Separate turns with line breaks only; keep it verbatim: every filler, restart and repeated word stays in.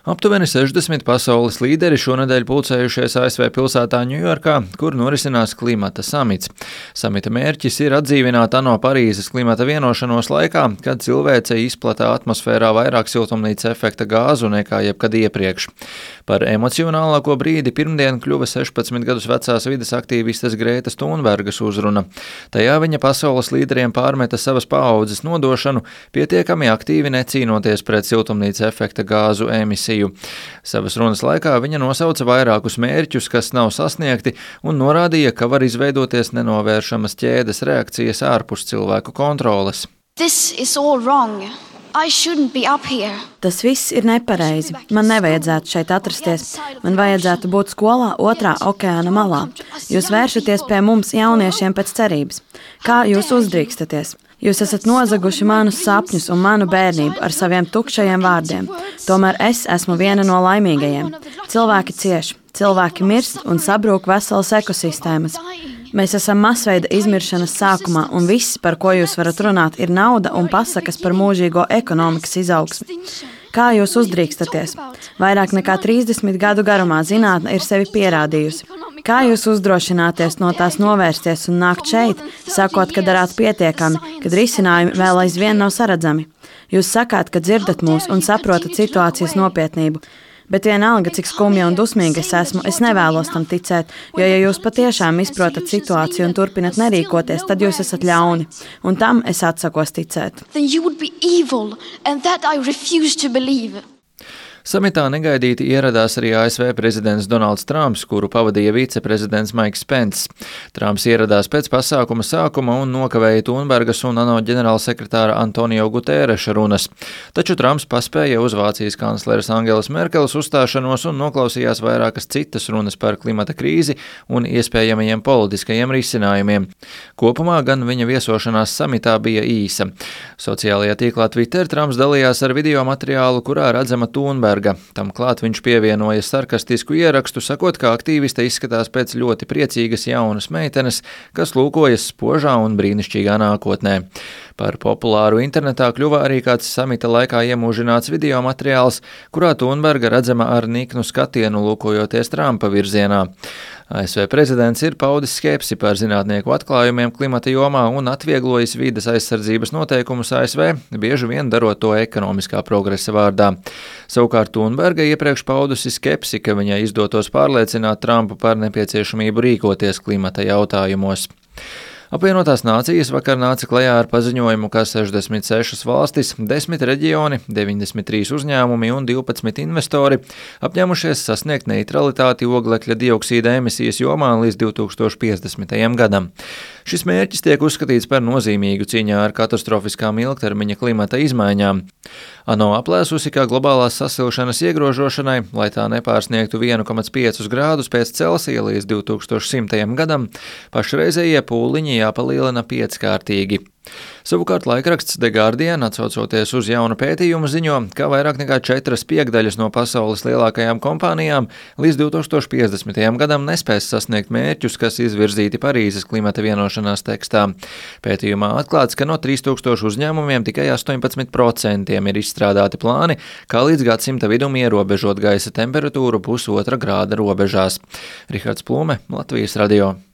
Aptuveni sešdesmit pasaules līderi šonedēļ pulcējušies A S V pilsētā Ņujorkā, kur norisinās klimata samits. Samita mērķis ir atdzīvināt ANO Parīzes klimata vienošanos laikā, kad cilvēce izplatā atmosfērā vairāk siltumnīca efekta gāzu nekā jebkad iepriekš. Par emocionālāko brīdi pirmdien kļuva sešpadsmit gadus vecās vides aktīvistes Grētas Thunbergas uzruna. Tajā viņa pasaules līderiem pārmeta savas paaudzes nodošanu, pietiekami aktīvi necīnoties pret siltumnīca efekta gāzu emisiju. Savas runas laikā viņa nosauca vairākus mērķus, kas nav sasniegti, un norādīja, ka var izveidoties nenovēršamas ķēdes reakcijas ārpus cilvēku kontroles.
This is all wrong. I shouldn't be up here.
Tas viss ir nepareizi. Man nevajadzētu šeit atrasties. Man vajadzētu būt skolā otrā okeāna malā. Jūs vēršaties pie mums jauniešiem pēc cerības. Kā jūs uzdrīkstaties? Jūs esat nozaguši manus sapņus un manu bērnību ar saviem tukšajiem vārdiem. Tomēr es esmu viena no laimīgajiem. Cilvēki cieš, cilvēki mirst un sabrūk veselas ekosistēmas. Mēs esam masveida izmiršanas sākumā, un viss, par ko jūs varat runāt, ir nauda un pasakas par mūžīgo ekonomikas izaugsmi. Kā jūs uzdrīkstaties? Vairāk nekā trīsdesmit gadu garumā zinātne ir sevi pierādījusi. Kā jūs uzdrošināties no tās novērsties un nākt šeit, sakot, ka darāt pietiekami, kad risinājumi vēl aizvien nav saredzami? Jūs sakāt, ka dzirdat mūs un saprotat situācijas nopietnību. Bet vienalga, cik skumja un dusmīga es esmu, es nevēlos tam ticēt, jo ja jūs patiešām izprotat situāciju un turpinat nerīkoties, tad jūs esat ļauni, un tam es atsakos ticēt.
Then you would be evil, and that I refuse to believe.
Samitā negaidīti ieradās arī A S V prezidents Donalds Trumps, kuru pavadīja viceprezidents Maiks Pence. Trumps ieradās pēc pasākuma sākuma un nokavēja Thunbergas un ANO ģenerālsekretāra Antonio Guterreša runas. Taču Trumps paspēja uz Vācijas kancleres Angelas Merkeles uzstāšanos un noklausījās vairākas citas runas par klimata krīzi un iespējamajiem politiskajiem risinājumiem. Kopumā gan viņa viesošanās samitā bija īsa. Sociālajā tīklā Twitter Trumps dalījās ar video materiālu, kurā redzama Thunberga. Tam klāt viņš pievienoja sarkastisku ierakstu, sakot, ka aktīviste izskatās pēc ļoti priecīgas jaunas meitenes, kas lūkojas spožā un brīnišķīgā nākotnē. Par populāru internetā kļuva arī kāds samita laikā iemūžināts video materiāls, kurā Thunberga redzama ar niknu skatienu lūkojoties Trumpa virzienā. A S V prezidents ir paudis skepsi par zinātnieku atklājumiem klimata jomā un atvieglojis vides aizsardzības noteikumus A S V, bieži vien darot to ekonomiskā progresa vārdā. Savukārt Thunberga iepriekš paudusi skepsi, ka viņai izdotos pārliecināt Trumpu par nepieciešamību rīkoties klimata jautājumos. Apvienotās nācijas vakar nāca klajā ar paziņojumu, ka sešdesmit sešas valstis, desmit reģioni, deviņdesmit trīs uzņēmumi un divpadsmit investori apņēmušies sasniegt neutralitāti oglekļa dioksīda emisijas jomā līdz divi tūkstoši piecdesmitajam gadam. Šis mērķis tiek uzskatīts par nozīmīgu cīņā ar katastrofiskām ilgtermiņa klimata izmaiņām. ANO aplēsusi, ka globālās sasilšanas iegrožošanai, lai tā nepārsniegtu viens komats pieci grādus pēc Celsija līdz divi tūkstoši simtajam gadam, pašreizējie pūliņi jāpalielina pieckārtīgi. Savukārt laikraksts The Guardian, atsaucoties uz jaunu pētījumu, ziņo, ka vairāk nekā četras piekdaļas no pasaules lielākajām kompānijām līdz divi tūkstoši piecdesmitajam gadam nespēs sasniegt mērķus, kas izvirzīti Parīzes klimata vienošanās tekstā. Pētījumā atklāts, ka no trīs tūkstošu uzņēmumiem tikai astoņpadsmit procenti ir izstrādāti plāni, kā līdz gadsimta vidum ierobežot gaisa temperatūru pusotra grāda robežās. Rihards Plume, Latvijas radio.